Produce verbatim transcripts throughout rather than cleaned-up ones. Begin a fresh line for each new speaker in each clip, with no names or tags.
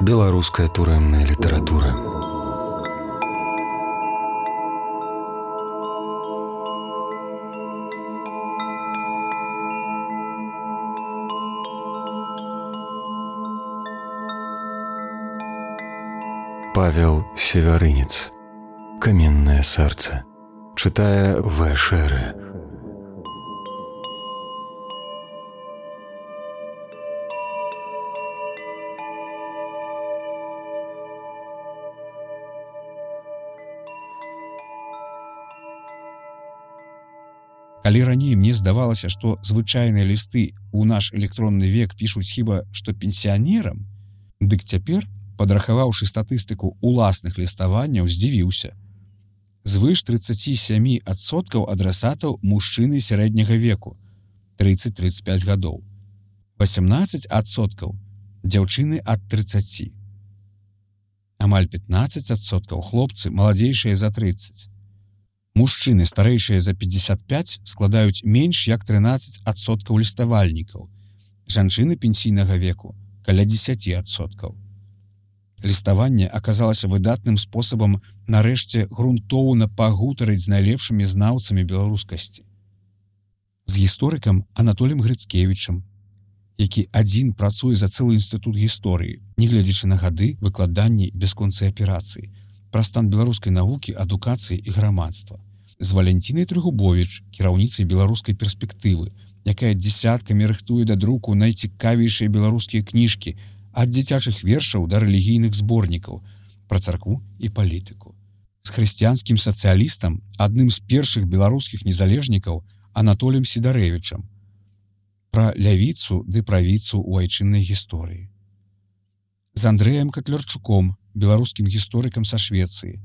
Беларуская турэмная літаратура. Павел Севярынец. Каменное сердце. Читая В. Шеры.
Калі раней мне здавалася, што звычайныя лісты ў наш электронны век пішуць хіба што пенсіянерам, дык цяпер, падрахаваўшы статыстыку уласных ліставанняў, здзівіўся. Звыш тридцать семь адсоткаў адрасатаў мужчыны сярэдняга веку, тридцать - тридцать пять гадоў. восемнадцать адсоткаў дзяўчыны ад тридцати. Амаль пятнадцать адсоткаў хлопцы маладзейшыя за тридцать. Мужчыны, старэйшыя за пятьдесят пять, складаюць менш як тринадцать адсоткаў ліставальнікаў. Жанчыны пенсійнага веку каля десять адсоткаў. Ліставанне аказалася выдатным спосабам нарэшце грунтоўна пагутарыць з найлепшымі знаўцамі беларускасці. З гісторыкам Анатоліем Грыцкевічам, які адзін працуе за цэлы інстытут гісторыі, нягледзячы на гады выкладання бясконцай аперацыі, пра стан беларускай навукі, адукацыі і грамадства. З Валянцінай Трыгубовіч, кіраўніцай беларускай перспектывы, якая дзесяткамі рыхтуе да друку найцікавейшыя беларускія кніжкі ад дзіцячых вершаў да рэлігійных зборнікаў пра царкву і палітыку. З хрысціянскім сацыялістам, адным з першых беларускіх незалежнікаў Анатоліем Сідарэвічам, пра лявіцу ды правіцу ў айчыннай гісторыі. З Андрэем Катлярчуком, беларускім гісторыкам са Швецыі,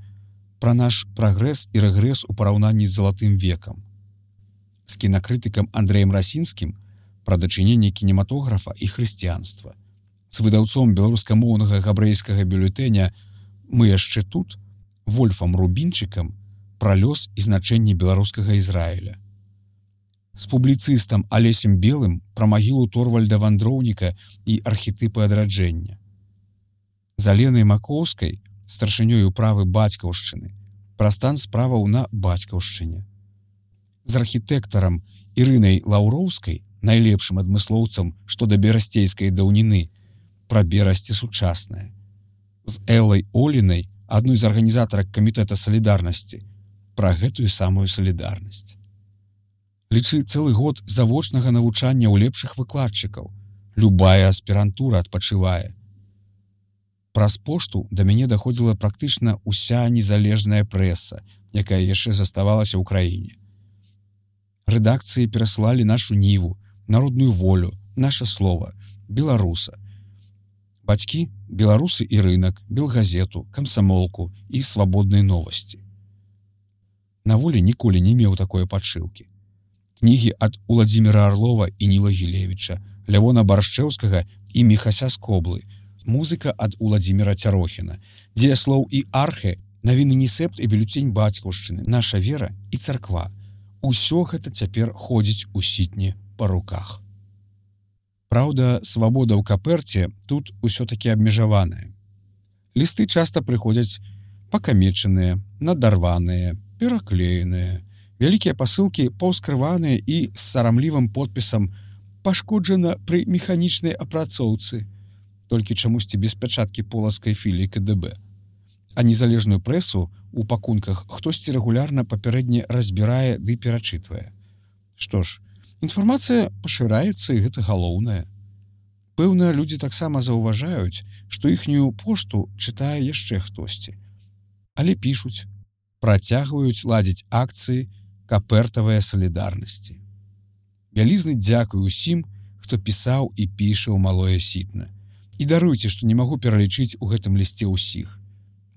пра наш прагрэс і рэгрэс у параўнанні з залатым векам. З кінакрытыкам Андрэем Расінскім пра дачыненне кінематографа і хрысціянства. З выдаўцом беларускамоўнага габрэйскага бюлетэня «Мы яшчэ тут» Вольфам Рубінчыкам пра лёс і значэнне беларускага Ізраіля. З публіцыстам Алесем Белым пра магілу Торвальда Вандроўніка і архетыпы адраджэння. З Аленай Макоўскай, старшынёй управы бацькаўшчыны, пра стан справаў на бацькаўшчыне. З архітэктарам Ірынай Лаўроўскай, найлепшым адмыслоўцам што да берасцейскай даўніны, пра берасці сучаснае. З Эллай Олінай, адной з арганізатарак камітэта салідарнасці, пра гэтую самую салідарнасць. Лічы цэлы год завочнага навучання ў лепшых выкладчыкаў. Любая аспірантура адпачывае. Праз пошту да мяне даходзіла практычна ўся незалежная прэса, якая яшчэ заставалася ў краіне. Рэдакцыі пераслалі нашу ніву, народную волю, наша слова, беларуса. Бацькі – беларусы і рынак, белгазету, камсамолку і свабодныя новасці. На волі ніколі не меў такой падшыўкі. Кнігі ад Уладзіміра Арлова і Ніла Гілевіча, Лявона Баршчэўскага і Міхася Скоблы, музыка ад Уладзіміра Цярохіна, дзеяслоў і архе, навіны Нісепт і бюлетень бацькаўшчыны, наша вера і царква. Усё гэта цяпер ходзіць у сітні па руках. Праўда, свабода ў каперце тут усё-такі абмежаваная. Лісты часта прыходзяць пакамечаныя, надарваныя, пераклееныя, вялікія пасылкі паўскрываныя і з сарамлівым подпісам «Пашкоджана пры механічнай апрацоўцы», толькі чамусьці без пячаткі полацкай філіі ка дэ бэ. А незалежную прэсу у пакунках хтосьці рэгулярна папярэдне разбірае ды перачытвае. Што ж, інфармацыя пашыраецца, і гэта галоўнае. Пэўна, людзі таксама заўважаюць, што іхнюю пошту чытае яшчэ хтосьці. Але пішуць, працягваюць ладзіць акцыі капертавыя салідарнасці. Вялізны дзякуй усім, хто пісаў і піша ў малое сітна. І даруйце, што не магу пералічыць у гэтым лісце ўсіх.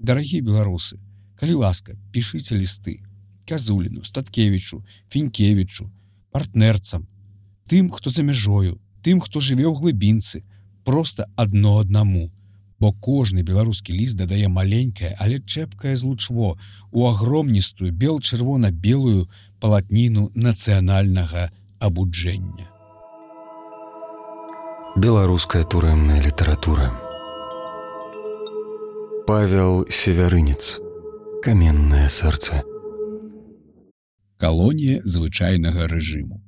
Дарагія беларусы, калі ласка, пішыце лісты Казуліну, Статкевічу, Фінкевічу, партнерцам, тым, хто за мяжою, тым, хто жыве ў глыбінцы, проста адно аднаму. Бо кожны беларускі ліст дадае маленькае, але чэпкае злучво у агромністую бел-чырвона-белую палатніну нацыянальнага абуджэння.
Беларуская турэмная літаратура. Павел Севярынец. Каменное сердце.
Калонія звычайнага рэжыму.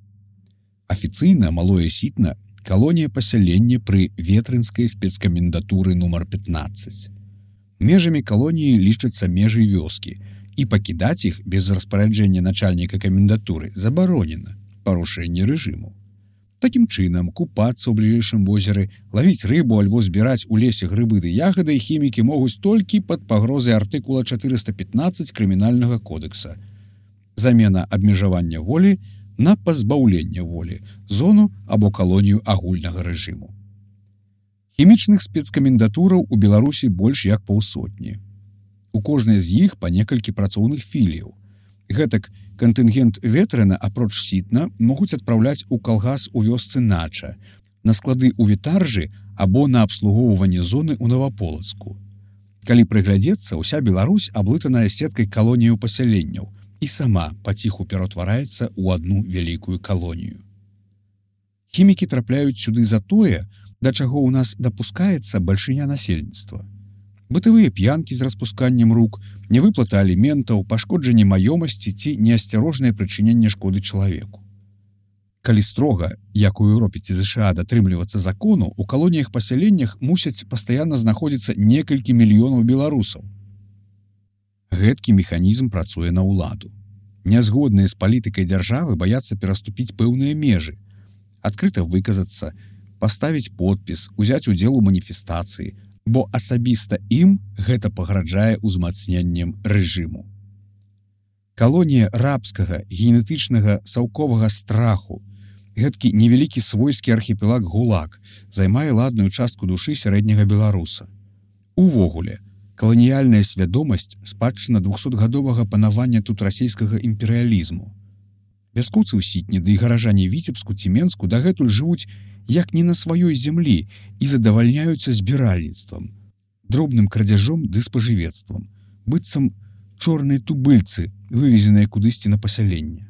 Афіцыйна Малое Сітна – калонія пасялення пры ветрынскай спецкамендатуры нумар пятнаццаць. Межамі калоніі лічацца межы вёскі, і пакідаць іх без распараджэння начальніка камендатуры забаронена, парушэнне рэжыму. Такім чынам, купацца ў бліжэйшым возеры, лавіць рыбу альбо збіраць у лесе грыбы ды ягады хімікі могуць толькі пад пагрозай артыкула чатырыста пятнаццаць крымінальнага кодекса. Замена абмежавання волі на пазбаўленне волі, зону або калонію агульнага рэжыму. Хімічных спецкамендатураў у Беларусі больш як паўсотні. У кожнай з іх па некалькі працоўных філіяў. Гэтак кантынгент ветрына, апроч Сітна, могуць адпраўляць у калгас у вёсцы Нача, на склады ў Вітаржы або на абслугоўванне зоны ў Наваполацку. Калі прыглядзецца, уся Беларусь аблытаная сеткай калоніяў пасяленняў і сама паціху ператвараецца ў адну вялікую калонію. Хімікі трапляюць сюды за тое, да чаго ў нас дапускаецца бальшыня насельніцтва. Бытавыя п'янкі з распусканнем рук, невыплата аліментаў, пашкоджанне маёмасці ці неасцярожнае прычыненне шкоды чалавеку. Калі строга, як у Еўропе ці ЗША, датрымлівацца закону, у калоніях-пасяленнях мусяць пастаянна знаходзіцца некалькі мільёнаў беларусаў. Гэткі механізм працуе на ўладу. Нязгодныя з палітыкай дзяржавы баяцца пераступіць пэўныя межы, адкрыта выказацца, паставіць подпіс, узяць удзел у маніфестацыі, бо асабіста ім гэта пагражае ўзмацненнем рэжыму. Калонія рабскага, генетычнага, саўковага страху, гэткі невялікі свойскі архіпелаг ГУЛАГ займае ладную частку душы сярэдняга беларуса. Увогуле, каланіяльная свядомасць спадчына двухсотгадовага панавання тут расійскага імперыялізму. Вяскоўцы ў Сітні ды і гаражане Віцебску ці Менску дагэтуль жывуць як не на сваёй зямлі і задавальняюцца збіральніцтвам, дробным крадзяжом ды спажывецтвам, быццам чорныя тубыльцы, вывезеныя кудысьці на пасяленне.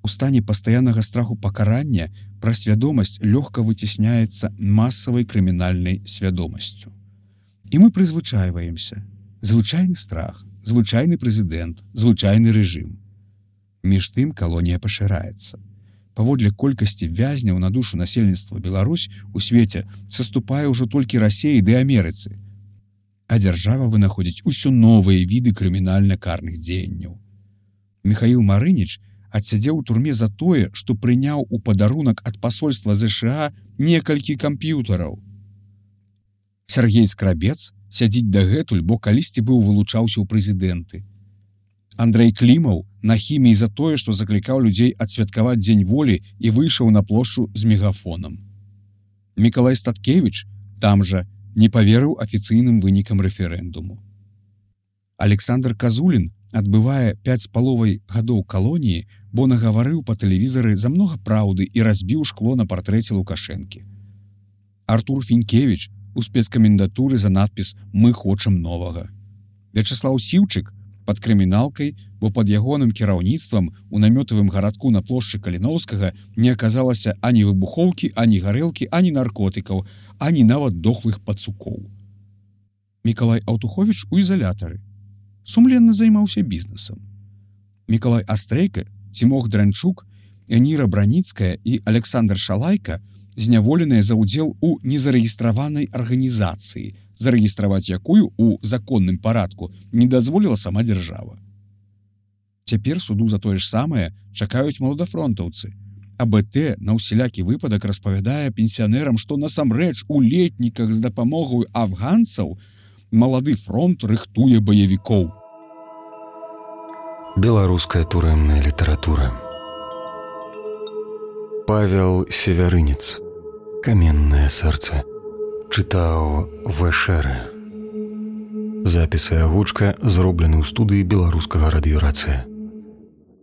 У стане пастаяннага страху пакарання пра свядомасць лёгка выцісняецца масавай крымінальнай свядомасцю. І мы прызвычайваемся. Звычайны страх, звычайны прэзідэнт, звычайны рэжым. Між тым калонія пашыраецца. Паводле колькасці вязняў на душу насельніцтва Беларусь у свеце саступае ўжо толькі Расіі ды Амерыцы. А дзяржава вынаходзіць усё новыя віды крымінальна-карных дзеянняў. Міхаіл Марыніч адсядзеў у турме за тое, што прыняў у падарунак ад пасольства ЗША некалькі камп'ютараў. Сяргей Скрабец сядзіць дагэтуль, бо калісьці быў вылучаўся ў прэзідэнты. Андрэй Клімаў на хіміі за тое, што заклікаў людзей адсвяткаваць дзень волі і выйшаў на плошчу з мегафонам. Мікалай Статкевіч там жа не паверыў афіцыйным вынікам рэферэндуму. Александр Казулін адбывае пяць з паловай гадоў калоніі, бо нагаварыў па тэлевізары за многа праўды і разбіў шкло на партрэце Лукашэнкі. Артур Фінкевіч у спецкамендатуры за надпіс «Мы хочам новага». Вячаслаў Сіўчык пад крыміналкай, бо пад ягоным кіраўніцтвам у намётавым гарадку на плошчы Каліноўскага не аказалася ані выбухоўкі, ані гарэлкі, ані наркотыкаў, ані нават дохлых пацукоў. Мікалай Аўтуховіч у ізалятары. Сумленна займаўся бізнесам. Мікалай Астрейка, Цімох Дранчук, Эніра Браніцкая і Александр Шалайка зняволеныя за ўдзел у незарэгістраванай арганізацыі, зарэгістраваць якую у законным парадку не дазволіла сама дзяржава. Цяпер суду за тое ж самае чакаюць маладафронтаўцы. А Бэ Тэ на ўсялякі выпадак распавядае пенсіянерам, што насамрэч у летніках з дапамогаю афганцаў малады фронт рыхтуе баевікоў.
Беларуская турэмная літаратура. Павел Севярынец. Каменное сердце. Чытаў Вэшэрэ. Запіс і агучка зроблены ў студыі беларускага радыёрацыя.